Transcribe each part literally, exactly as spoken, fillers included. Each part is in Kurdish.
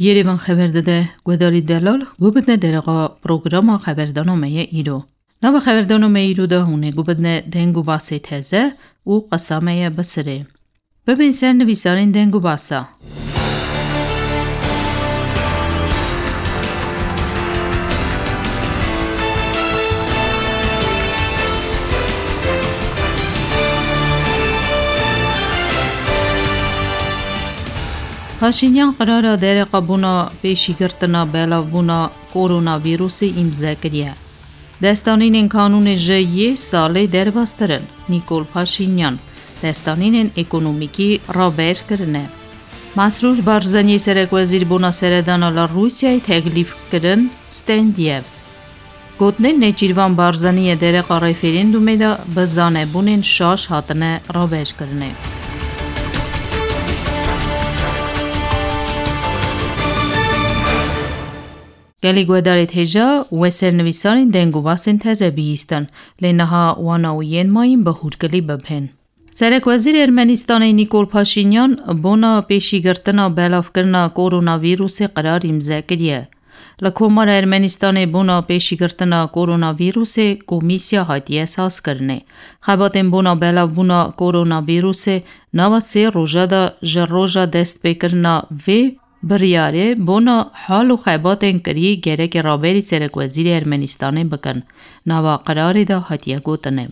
Yerevan xeber dide, guhdarî delal, guh bidine dereqa programa xeberdana me ye îro. Nava xeberdana me îro de hûn ê guh bidine deng û basê teze û qesa me ye bi sirê. Bibên ser nivîsarên deng û basa. Paşînyan qirara dereqa bona pêşîgirtina belavbûna koronavîrusê îmze kiriye. Destanînên kanûnê ji yê salê derbas kirin, Nîkol Paşînyan. Destanînên ekonomîkî raber kirine. Mesrûr Barzanî serekwezîr bona seredana li Rûsyayê teklîf kirin, stendiye. Gotinên Nêçîrvan Barzanî yê dereqa referendumê de bi zanebûnên şaş hatine raberkirinê. Gelî guhdarê hêja we ser nivîsarên deng û basên teze bihîstin, lê niha wana û yên mayîn bi hûrgilî bibhên. Serekwezîrê Ermenistanê Nîkol Paşînyan bona pêşîgirtina belavkirina koronavîrusê qerar îmze kiriye. Li Komara Ermenistanê bona pêşîgirtina koronavîrusê komîsya hatiye sazkirinê. Xebatên bona belavbûna koronavîrusê nava sê roja de ji roja destpêkirina vê biryarê bona hal û xebatên kirî gerekê raberî serekwezîrê Ermenistanê bikin, nava qerarê de hatiye gotinê.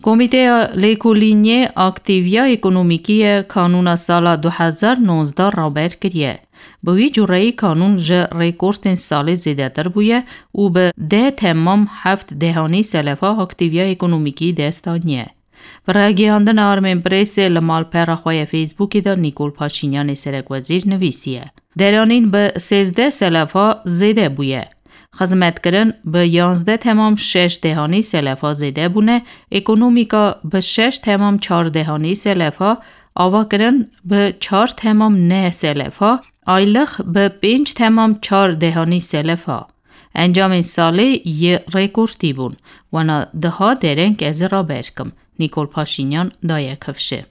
Komîteya Lêkolîniyê Aktîviya Ekonomîkî ye kanûna sala du hezar nozdeh raber kiriye. Bi wî cureyî kanûn ji rêkortên salê zêdetir bûye û bi deh temam heft dehanî selefa aktîviya ekonomîkî dest aniye. Bi ragihandina Armên Presê li malpera xwe ya Facebookê de Nîkol Paşînyanê serekwezîr nivîsiye. Deranîn bi sêzdeh selefa zêde bûye. Xizmetkirin bi yanzdeh temam şeş dehanî selefa zêde bûne, ekonomîka bi şeş temam çar dehanî selefa, avakirin bi çar temam neh selefa, aylix bi pênc temam çar dehanî selefa. Encamên salê yê rêkortî bûn. Wana diha dereng ez ê raber kim. Nîkol Paşînyan daye kifşê.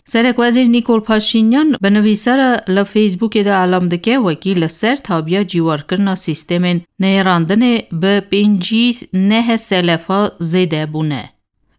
Serekwezîr Nîkol Paşînyan bi nivîsara li Facebookê de elam dike, wekî li ser tabiya cîwarkirina sîstemên nêrandinê bi pêncî neh selefa zêde bûne.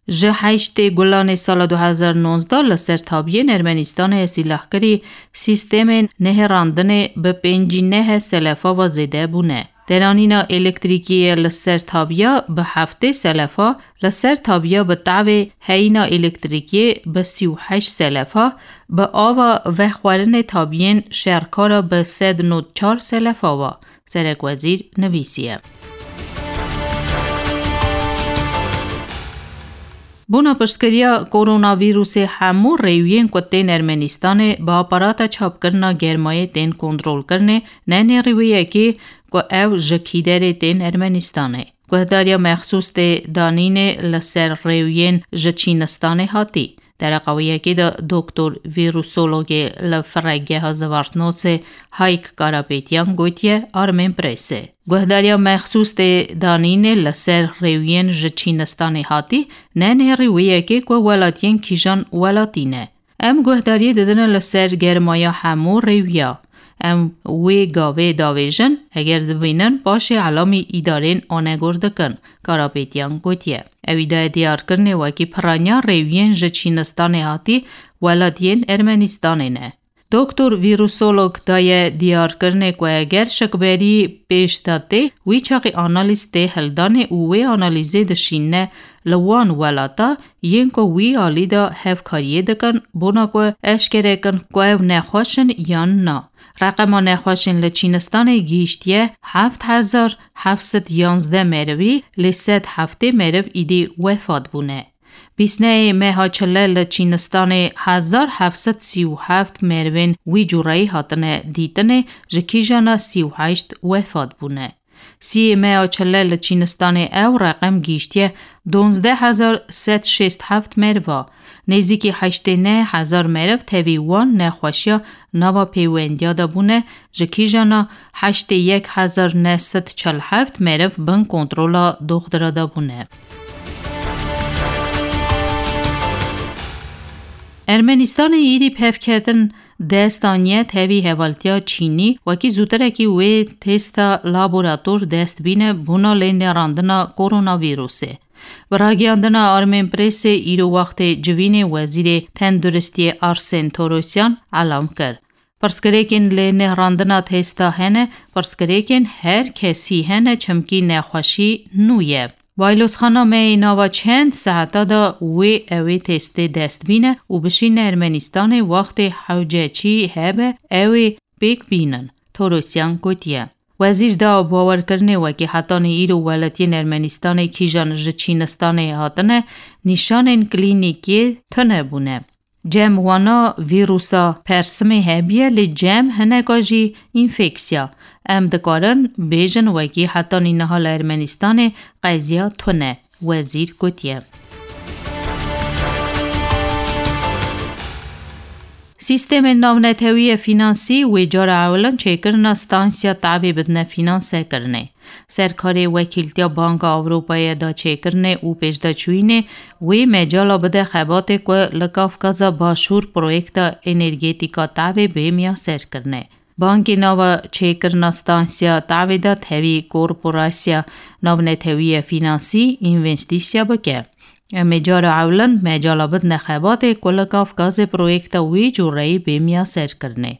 Ji heştê Gulanê sala du hezar nozdeh li ser tabiyên Ermenistanê ya sîlahkirî sîstemên nehêrandinê bi pêncî neh selefa ve zêde bûne. Deranîna elektrîkiyê li ser tabiya bi heftê selefa, li ser tabiya bi tavê heyîna elektrîkiyê bi sî û heşt selefa, bi ava vexwarinê tabiyên şerkara bi sed nod çar selefa ve. Serekwezîr nivîsiye. Bona piştgiriya koronavîrusê hemû rêwiyên ku tên Ermenistanê bi aparata çapkirina germayê tên kontrolkirinê, ne nêrî wê yekê ku ew ji kî derê tên Ermenistanê. Guhdariya mexsûs tê danînê li ser rêwiyên ji Çînistanê hatî. Dereqa wê yekê de doktor vîrusologê li Firegeha Zvartnosê Hayk Karapetyan gotiye Armên Presê. Guhdariya mexsûs tê danînê li ser rêwiyên ji Çînistanê hatî, ne nêrî wê yekê ku welatiyên kîjan welatî ne. Em guhdariyê didine li ser germaya hemû rêwiya. Em wê gavê davêjin, eger dibînin paşê elamî îdarên anegor dikin, Karapetyan gotiye. Ewî daye diyarkirinê wekî piraniya rêwiyên ji Çînistanê hatî welatiyên Ermenistanê ne. Doktor vîrusolog daye diyarkirinê ku eger şikberî pêş de tê, wî çaxî analîz tê hildanê û wê analîzê dişîne li wan welata yên ku wî alî de hevkariyê dikin, bona ku eşkere kin ku ew nexweş in yan na. Reqema nexweşên li Çînistanê gihîştiye heft hezar heft sed yanzdeh merivî, lê sed heftê meriv îdî wefat bûne. Bîsneyê meha çile li Çînistanê hezar heft sed sî û heft merivên wî cureyî hatine dîtinê, ji kîjana sî û heşt wefat bûne. Siyê meya çile li Çînistanê ew reqem gihîştiye duwazdeh hezar sed şêst heft meriva. Nêzîkî heştê neh hezar meriv tevî wan nexweşiya nava pêwendiya de bûne, ji kîjana heştê yek hezar neh sed çel heft meriv bin kontrola doxtira de bûne. Ermenistanê êdî bi hevketin dest aniye tevî hevaltiya Çînî, wekî zûtirekî wê testa laborator dest bîne bona lê nêrandina koronavîrusê. Bi ragiyandina Armenpressê îro wextê civînê wezîrê tenduristiyê Arsen Torosyan elam kir. Pirsgirêkên lê nêrandina testa hene, pirsgirêkên her kesî hene, çimkî nexweşî nû ye. Baylozxana me yê nava çend saeta de wê ew ê testê dest bîne û bişîne Ermenistanê, wextê hewceçî hebe ew ê pêk bînin, Torosyan gotiye. Wezîr da bawerkirinê wekî hetanî îro welatiyên Ermenistanê kîjan ji Çînistanê hatine, nîşanên klînîkê tune bûne. Cem wana vîrusa persimê hebiye, lê cem hineka jî înfeksiya. Em dikarin bêjin wekî hetanî niha li Ermenistanê qeziya tune, wezîr gotiye. Sîstemên navnetewî yê fînansî wê cara ewilin çêkirina stansiya tavê bidine fînansekirinê. Serkarê Wekîltiya Banka Ewropayê da çêkirinê û pêşdaçûyînê wê mecala bide xebatê ku li Kafkaza Başûr proyekta energetîka tavê bê miyaserkirinê. Bankê nava çêkirina stansiya tavê de tevî korporasya navnetewî yê fînansî învestîsiya bike. Em ê cara ewilin mecala bidine xebatê ku li Kafkazê proyekta wî cûreyî bê miyaserkirinê.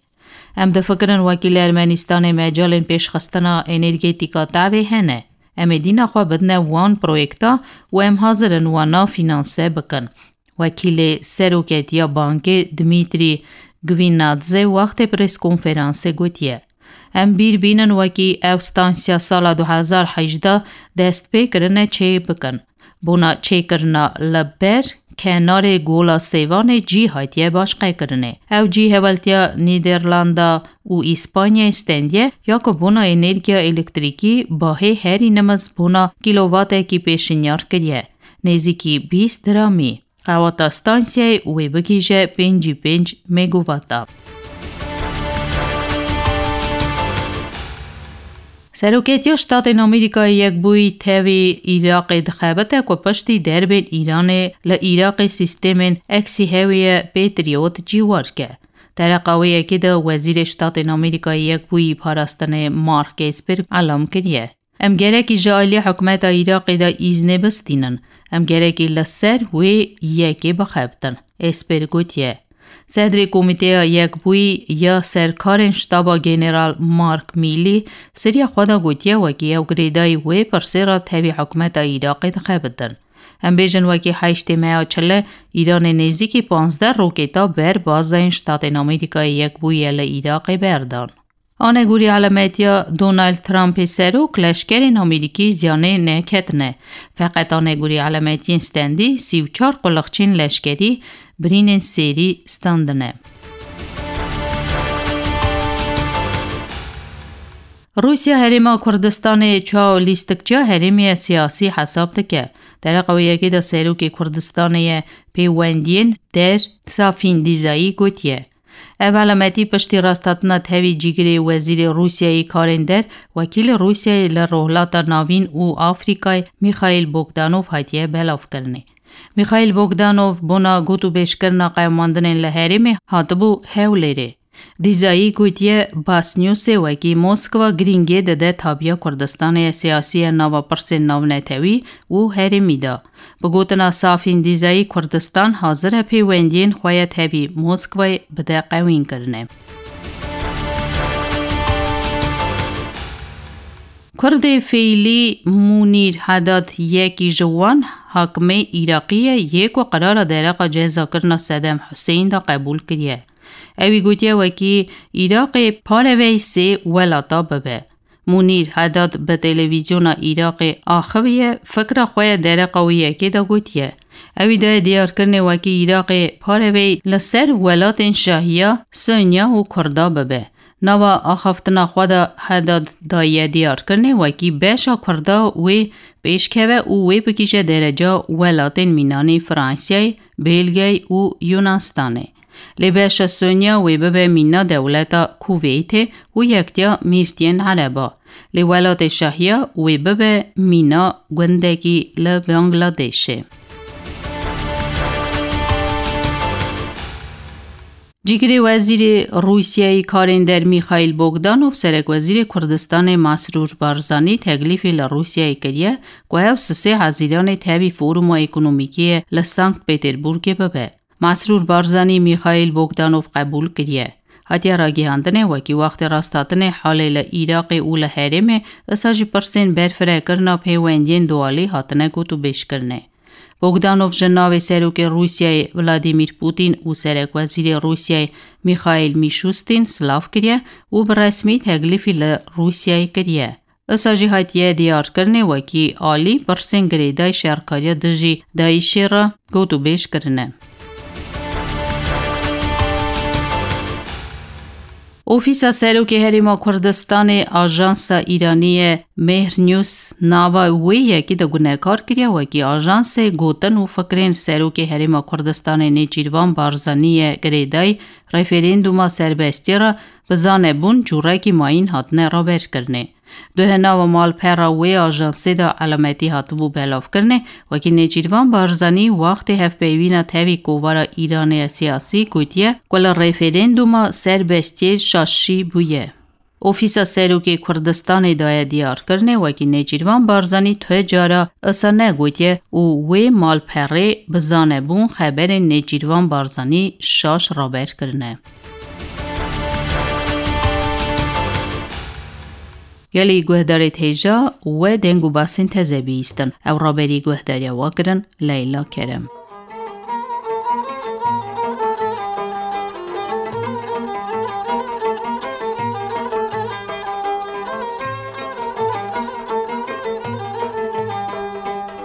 Em difikirin wekî li Ermenistanê mecalên pêşxistina energetîka tavê hene. Em ê dîna xwe bidine wan proyekta û em hazir in wana fînanse bikin. Wekîlê Seroketiya Bankê Dmitrî Gvinadze wextê preskonferansê gotiye, em bîr bînin wekî ew stansiya sala du hezar hejdeh dest pê kirine çê bikin. Bona çêkirina li ber kenarê Gola Sêvanê cî hatiye başqekirinê. Ew cî hevaltiya Nîderlanda û Îspanyayê stendiye ya ku bona enerjiya elektrîkî bahê herî nimiz bona kîlowatekî pêşinyar kiriye, nêzîkî bîst dramî. Qewata stansiyayê wê bigihîje pêncî pênc megawata. Seroketiya Ştatên Amerîkayê Yekbûyî tevî Iraqê dixebite ku piştî derbên Îranê li Iraqê sîstemên eksî hewîye Patriot cîwar ke. Dereqa wê yekê de Wezîrê Ştatên Amerîkayê Yekbûyî Parastinê Mark Esper elam kiriye. Em gerekî ji aliyê hikûmeta Iraqê de îznê bistînin. Em gerekî li ser wê yekê bixebitin, Esper gotiye. Sedrê Komîteya Yekbûyî ya Serkarên Ştaba General Mark Millî seriya xwe de gotiye, wekî ew girêdayî wê pirsê re tevî hikûmeta Iraqê dixebitin. Em bêjin wekî heştê meya çile Îranê nêzîkî panzdeh roketa ber bazeyên Ştatên Amerîkayê Yekbûyî li Iraqê berdan. Anegorî elametiya Donald Trumpê serok leşkerên Amerîkî ziyanê neketine. Feqet anegorî elametiyên stendî sî û çar quliqçên leşkerî birînên sêrî standine. Rûsya Herêma Kurdistanê çaw lîstikçiya herêmê ye siyasî hesab dike. Dereqa wê yekê de Serokê Kurdistanê ye pêwendiyên der Safîn Dîzayî gotiye. Ev elametî piştî rasthatina tevî cîgirê wezîrê Rûsyayê karên der, wekîlê Rûsyayê li Rojhilata Navîn û Afrîkayê Mîxaîl Bogdanov hatiye belavkirinê. Mîxaîl Bogdanov bona gotûbêjkirina qewimandinên li herêmê hatibû Hewlêrê. Dîzayî gotiye, Basnewsê wekî Moskva girîngiyê dide tabiya Kurdistanê siyasî ye nava pirsên navnetewî û herêmî de. Bi gotina Safîn Dîzayî, Kurdistan hazir e pêwendiyên xwe ya tevî Moskwayê bide qewînkirinê. Kurdê fêlî Munîr Hedad yekî ji wan hakimê Iraqî ye yê ku qerara dereqa cezakirina Sedem Huseyîn de qebûl kiriye. Ewî gotiye wekî Iraqê parevey sê welata bibe. Munîr Hedad bi televîzyona Iraqê axiviye, fikra xwe ya dereqa wê yekê de gotiye. Ewî daye diyarkirinê wekî Iraqê parevey li ser welatên şahiya, Sunniya û Kurda bibe. Nava axaftina xwe de Hedad daye diyarkirinê wekî beşa Kurda wê pêşkeve û wê bigihîje dereca welatên mînanî Fransayê, Belgiyayê û Yunastanê. Lê beşa Sonya wê bibe mîna dewleta Kuveytê û Yektiya Mîrtiyên Ereba. Lê welatê şahiya wê bibe mîna gundekî li Bangladêşê. Cîgirê Wezîrê Rûsyayê Karên Der Mîxaîl Bogdanov, Serekwezîrê Kurdistanê Masrûr Barzanî teklîfê li Rûsyayê kiriye ku ew sisê Hezîranê tevî foruma ekonomîkê li Sankt Peterburgê bibe. Masrûr Barzanî Mîxaîl Bogdanov qebûl kiriye. Hatiye ragihandinê wekî wextê rasthatinê halê li Iraqê û li herêmê, isa jî pirsên berfirekirina pêwendiyên dualî hatine gotûbêjkirinê. Bogdanov ji navê Serokê Rûsyayê Vladimir Putin û Serekwezîrê Rûsyayê Mîxaîl Mîşustin silav kiriye û bi resmî teklîfî li Rûsyayê kiriye. Isa jî hatiye diyarkirinê wekî alî pirsên girêdayî şerkariya dijî DAIŞê re gotûbêj kirine. Ofîsa Serokê Herêma Kurdistanê ajansa Îranî ye Mehr News nava wê yekî de gunekar kiriye wekî ajansê gotin û fikrên Serokê Herêma Kurdistanê Nêçîrvan Barzanî ye girêdayî referenduma serbestiyê re bi zanebûn cûrekî mayîn hatine raberkirinê. Duhe nava malpera wê ajansê de elametî hatibû belavkirinê, wekî Nêçîrvan Barzanî wextê hevpeyvîna tevî kovara Îranê ya siyasî gotiye ku li referenduma serbestiyê şaşî bûye. Ofîsa Serokê Kurdistanê daye diyarkirinê, wekî Nêçîrvan Barzanî tu cara isa negotiye û wê malperê bi zanebûn xeberên Nêçîrvan Barzanî şaş raber kirine. Gelî guhdarê hêja we deng û basên teze bihîstin. Ew raberî guhdariya we kirin Leyla Kerem.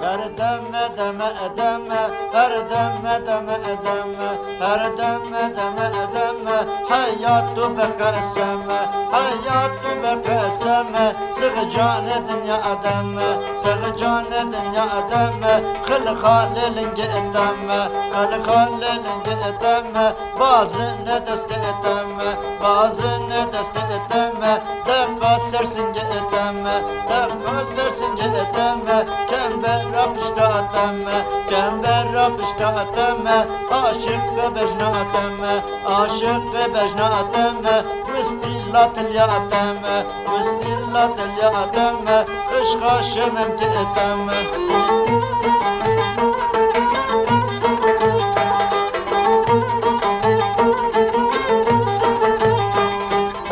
Her deme, deme, deme, her deme, deme, deme, her deme, deme, deme, heyat tu bi qeseme, heyat tu bi qeseme, sixcanê dinya deme, sixcanê dinya deme, xil xalê lingê deme, xil xalê lingê deme, bazine destê deme, bazine destê deme, deqa ser singê deme, deqa ser singê deme, kembera pişta deme, kembera pişta deme, aşiq bejna deme, aşiq bejna deme, wistî la tilya deme, wistî la tilya deme, xişxa şemem ke deme.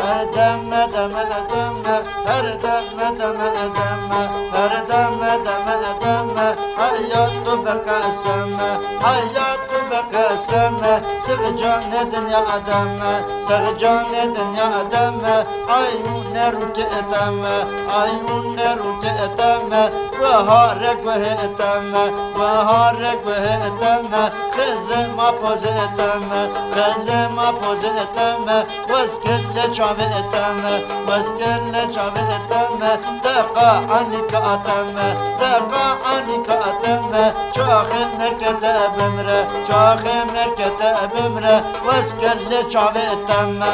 Her deme, deme, deme, her deme, deme, deme, her deme, deme, deme, heyat tu bi qeseme, heyat tu bi qeseme, sixcanê dinya deme, sixcanê dinya deme, ayûne rûke deme, ayûne rûke deme, wehare guhe deme, wehare guhe deme, xizema poze deme, xizema poze deme, weskelle çave deme, weskelle çave deme, deqa anika deme, deqa anika deme, çaxê mekete bimre, çaxê mekete bimre, weskelle çave deme.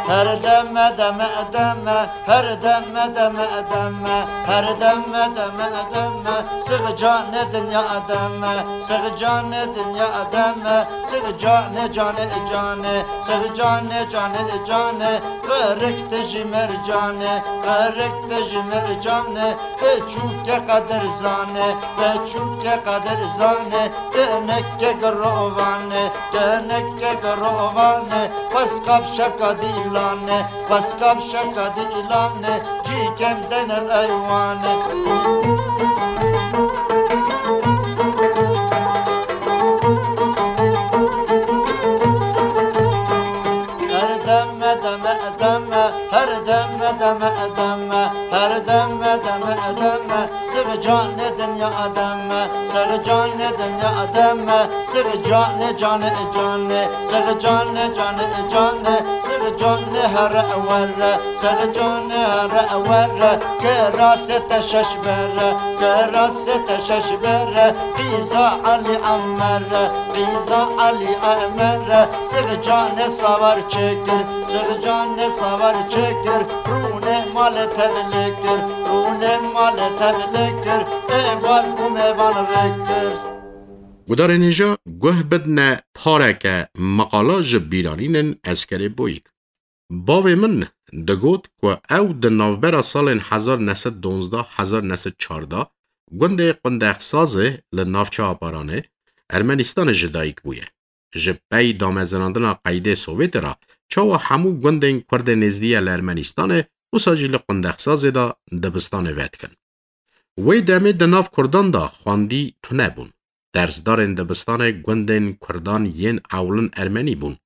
Her deme, deme, deme, her deme, deme, deme, her deme, deme, deme, sixcanê dinya deme, sixcanê dinya deme, sixcanê canê canê, sixcanê canê canê, qirik tijî mercanê, qirik tijî mercanê, beçûke qedir zanê, beçûke qedir zanê, teneke girovane, teneke girovane, xweska bi şevka dîlane, xweska bi şevka dîlane, cîkem denel eywane. Her deme, deme, deme, her deme, deme, deme, her deme, deme, deme, sixcanê dinya deme, sixcanê dinya deme, sixcanê canê canê, sixcanê canê canê, sixcanê here were, sixcanê here were, kirasê te şeş bere, kirasê te şeş bere, qîza Elî Emere, qîza Elî Emere, sixcanê savar çêkir, sixcanê savar çêkir, rûnê malê tevlê kir, rûnê Ê malê tevlikir, ê bar û mêvan rikir. Gudarên hêja guh bidne pareke meqala ji bîranînên Eskerê Boyîk. Bavê min digot ku ew di navbera salên hezar neh sed donzdeh hezar neh sed çardeh gundê Qundexsazê li navça Aparanê, Ermenistanê ji dayik bûye. Ji pey damezirandina qeydê Sovyetê re çawa hemû gundên Kurdê nêzdî ye li Ermenistanê, wisa jî li Qundexsazê de dibistanê vedikin. Wê demê di nav Kurdan de xwendî tune bûn. Dersdarên dibistanê gundên Kurdan yên ewlin Ermenî bûn.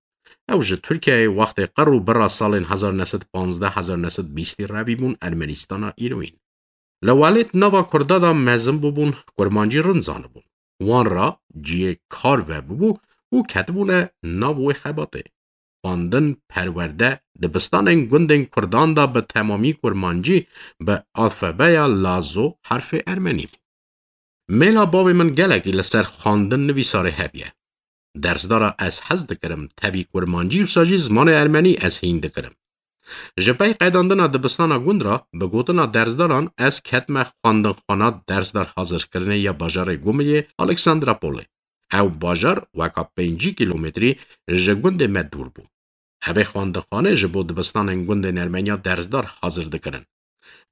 Ew ji Tirkiyeyê wextê qir û bira salên hezar neh sed panzdeh hezar neh sed bîstî revî bûn Ermenistana îroyîn. Li welêt nava Kurda de mezin bûbûn, kurmancî rind zanibûn. Wan re cihê kar vebûbû û ketibûne nav wê xebatê. Xwendin, perwerde, dibistanên gundên Kurdan de bi temamî kurmancî, bi alfabeya lazo, herfê ermenî bû. Mêla bavê min gelekî li ser xwendin nivîsarê hebiye. Dersdara ez hez dikirim, tevî kurmancî wisa jî zimanê ermenî ez hîn dikirim. Ji pey qedandina dibistana gund re, bi gotina dersdaran, ez ketime xwendinxwana dersdar hazirkirinê ya bajarê Gumiliyê Alexandropolê. Ew bajar weka pêncî kîlometrî ji gundê me dûr bû. Evê xwendinxane ji bo dibistanên gundên Ermeniya dersdar hazir dikirin.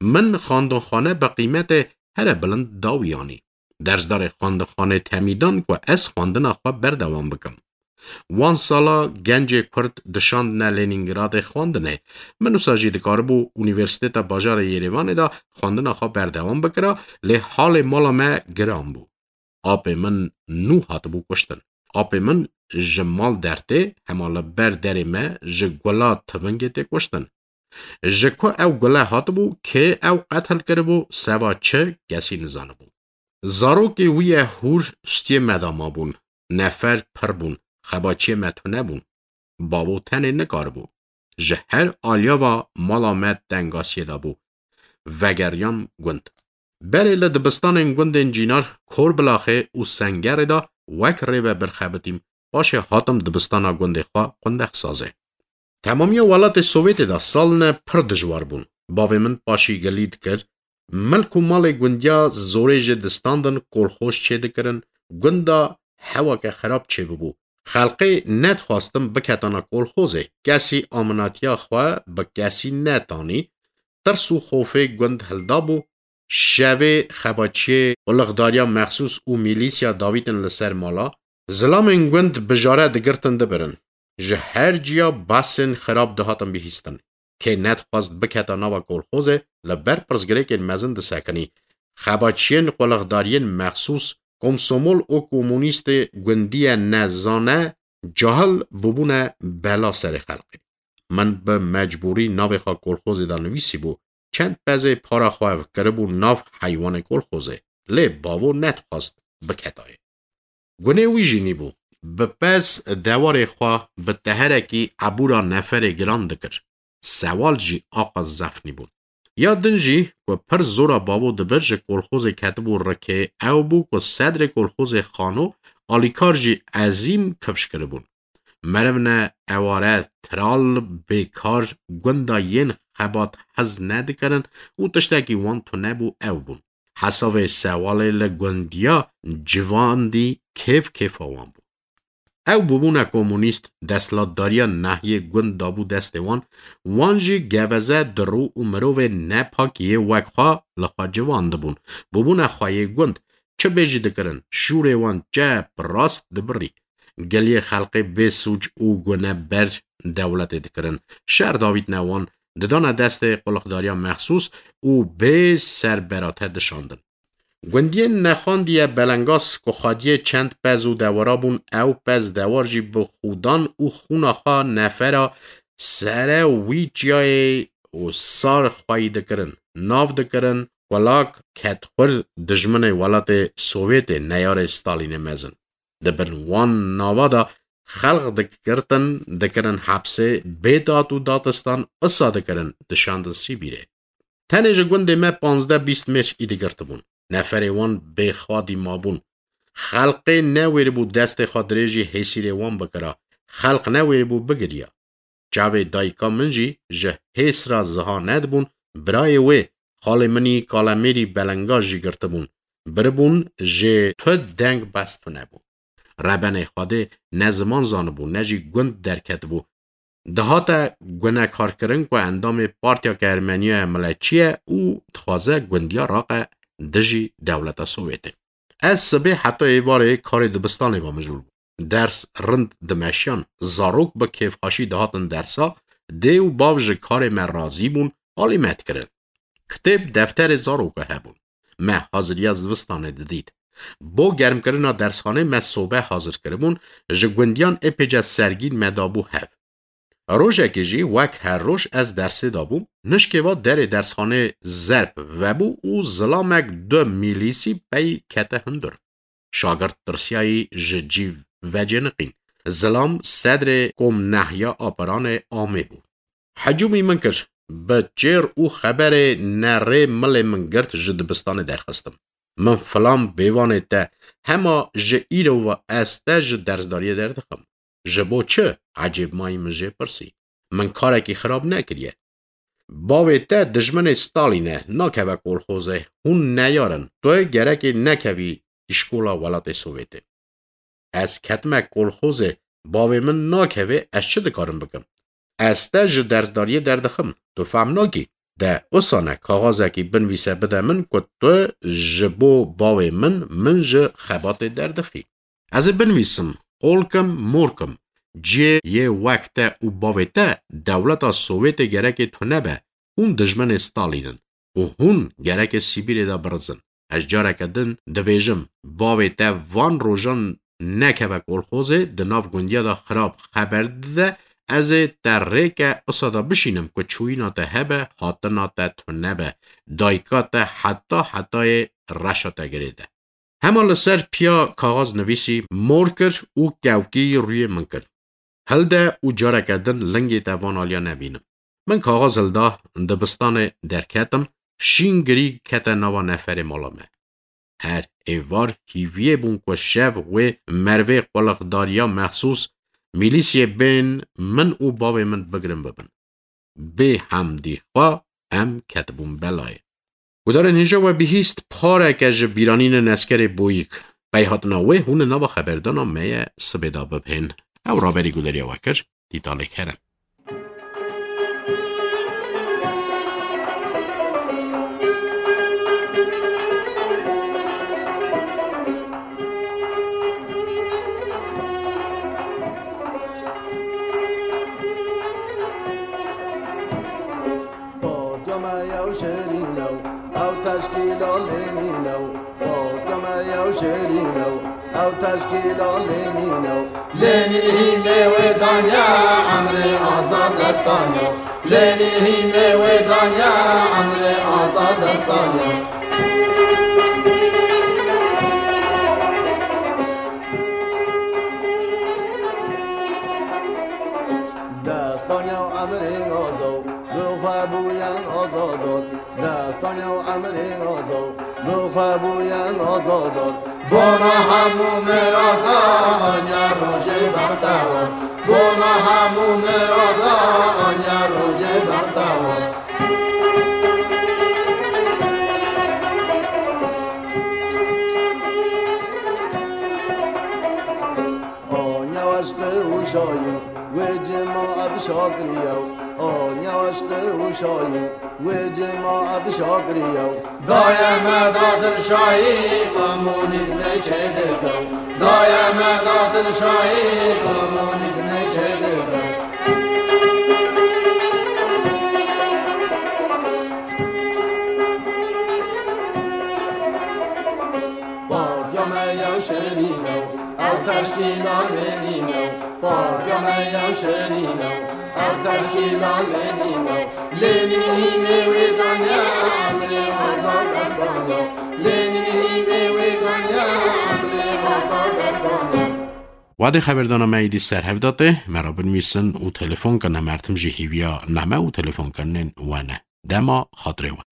Min xwendinxane bi qîmetê here bilind da wiyanî. Dersdarê xwendinxanê temî dan ku ez xwendina xwe berdewam bikim. Wan sala gencê Kurd dişandine Lenîngradê xwendinê. Min wisa jî dikaribû Unîversîteta Bajarê Yerêvanê de xwendina xwe berdewam bikira, lê halê mala me giran bû. Apê min nû hatibû kuştin. Apê min ji mal dertê, hema li ber derê me ji gula tivingê tê kuştin. Ji ku ew gule hatibû, kê ew qetil kiribû, seva çi, kesî nizanibû. Zarokê wî ye hûr stiyê me de mabûn. Nefer pir bûn. Xebaçiyê me tune bûn. Bavo tenê nikaribû. Ji her aliya ve mala me tengasiyê de bû. Vegeriyan gund. Berê li dibistanên gundên Cînar, Korbilaxê û Sengerê de wek rêvebir xebitîm, paşê hatim dibistana gundê xwe Qundexsazê. Temamiya welatê Sovyetê de salne pir dijwar bûn. Bavê min paşî gilî dikir, milk û malê gundiya zorê jê distandin, kolxoz çêdikirin, gunda hewake xirab çêbibû. Xelqê nedixwastin biketana kolxozê, kesî aminatiya xwe bi kesî netanî, tirs û xofê gund hildabû, şevê xebaçiyê, qulixdariya mexsûs û mîlîsya davîtin li ser mala, zilamên gund bi jare digirtin dibirin. Ji her ciya basên xirab dihatin bihîstin. Kê nedixwast biketa nava kolxozê, li ber pirsgirêkên mezin disekinî. Xebaçiyên qulixdariyên mexsûs, komsomol û komunîstê gundiye nezane, cahil bûbûne bela serê xelkê. Min bi mecbûrî navê xwe kolxozê de nivîsîbû, çend pezê para xwe kiribû nav heywanê kolxozê, lê bavo nedixwast biketayê. Gunê wî jî nîbû. Bi pez dewarê xwe bi teherekî ebûra neferê giran dikir. Sewal jî aqas zef nîbûn. Ya din jî ku pir zora bavo dibir ji kolxozê ketibû rikê, ew bû ku sedrê kolxozê Xano, alîkar jî Ezîm kifş kiribûn. Merivne eware, tiral, bêkar, gunda yên xebat hez nedikirin û tiştekî wan tune bû, ew bûn. Hesavê sewalê li gundiya civandî kêf kêfa wan bû. Ew bûbûne komunîst, desthilatdariya nahiyê gund dabû destê wan, wan jî geveze, dirû û mirovê nepak yê wek xwe li xwe civandibûn. Bûbûne xweyê gund, çi bêjî dikirin, şûrê wan çep rast dibirî. Geliyê xelqê bê sûc û gune ber dewletê dikirin. Şer davîtine wan, didane destê qulixdariya mexsûs û bê serberate dişandin. Gundiyên nexandiye Belengas ku xwediyê çend pez û dewara bûn, ew pez dewar jî bi xûdan û xûna xwe nefera sere wî çiyayê û sar xweyî dikirin, nav dikirin, kulak, ketxwir, dijminê welatê Sovyetê, neyarê Stalînê mezin. Di bin wan nava de xelq digirtin, dikirin hepsê, bê dad û dadistan isa dikirin, dişandin Sîbîrê. Tenê ji gundê me panzdeh bîst mêr îdî girtibûn. Neferê wan bêxwedî mabûn. Xelqê newêribû destê xwe dirêjî hêsîrê wan bikira. Xelq newêribû bigiriya. Çavê dayika min jî ji hês re ziha nedibûn, birayê wê Xalê min î kalemêrî belenga jî girtibûn. Biribûn jê tu deng bes tune bû. Rebenê Xwedê ne ziman zanibû, ne jî gund derketibû. Dihate gunekarkirin ku endamê Partiyeke Ermeniya ye miletçî ye û dixwaze gundiya raqe dijî dewleta Sowêtê. Ez sibê heta êvarê karê dibistanê ve mijûl bûm. Ders rind dimeşiyan, zarok bi kêfxweşî dihatin dersa, dê û bav ji karê me razî bûn, alî me dikirin. Kitêb, defterê zaroka hebûn. Me haziriya zivistanê didît. Bo germkirina dersxanê me sobe hazir kiribûn, ji gundiyan êpêce sergîn me dabû hev. Rojekê jî wek her roj ez dersê dabûm, nişkê va derê dersxanê zerb vebû û zilamek du mîlîsî pey kete hundir. Şagirt tirsiyayî ji cî vecêniqîn. Zilam sedrê kom nehya apiranê amê bû. Hecûmî min kir. Bi çêr û xeberê nerê milê min girt, ji dibistanê derxistim. Min filan bêvanê te, hema ji îro ve ez te ji dersdariyê derdixim. Ji bo çi? Ecêbmayî min jê pirsî. Min karekî xirab nekiriye. Bavê te dijminê Stalîn e, nakeve kolxozê. Hûn neyar in. Tu gerekê nekevî îşkola welatê Sowêtê. Ez ketime kolxozê, bavê min nakeve, ez çi dikarim bikim? Ez te ji dersdariyê derdixim. Tu fehm nakî. De usane kaxazekî binvîse bide min ku tu ji bo bavê min, min ji xebatê derdixî. Ez ê binivîsim, qol kim, mor kim. Cihê yê wek te û bavê te, dewleta Sowêtê gerekê tune be. Hûn dijminê Stalîn in û hûn gerekê Sîbîrê de birizin. Ez careke din dibêjim, bavê te van rojan nekeve kolxozê, di nav gundiya de xirab xeber dide, ez ê te rêke usa de bişînim ku çûyîna te hebe, hatina te tune be. Dayika te heta hetayê reşa te girê de. Hema li ser piya kaxaz nivîsî, mor kir û kewkî rûyê min kir. Hilde û careke din lingê te van aliya nebînim. Min kaxaz hilda, dibistanê derketim, şîn girî kete nava neferê mala me. Her êvar hîviyê bûn ku şev wê mervê qulixdariya mexsûs, mîlîsiyê bên min û bavê min bigirin bibin. Bê hemdî xwe em ketibûn belayê. Gudarên hêja we bihîst pareke ji bîranînên eskerê Boyîk. Pey hatina wê hûn li nava xeberdana me ye sibê de bibhên. Ew raberî gudariya we kir, Tîtalê Kerem. Partiya me yew şêrîn e, ew teşkîla Lênîn e. Partiya me yew şêrîn e, ew teşkîla Lênîn e. Lênîn hînê wê daniye, emrê azad destaniye. Lênîn hînê wê daniye, emrê azad destaniye. Destaniya emrê azad, bi xwe bûyen azadar. Destaniya emrê azad, bi xwe bûyen azadar. Bona hemû miraza, anya rojê bextewar. Bona hemû miraza, anya rojê bextewar. Anya eşqê û şayî, wê cemaet şakiriye. Anya eşqê û şayî, wê cemaet şakiriye. Daye me da dilşayî, komunîzmê çêdike. Daye me da dilşayî, komunîzmê çêdike. Partiya me ya şêrîn e, ew teşkîla Lênîn e. Partiya me ya şêrîn e, ew teşkîla Lênîn e. Lênîn hînê wê daniye, emrê azad destaniye. Lênîn hînê wê daniye, emrê azad destaniye. Wadê xeberdana me êdî ser hev datê, me re binivîsin û telefon kin, em her tim jî hîviya name û telefonkirinên we ne. Dema xatirê we.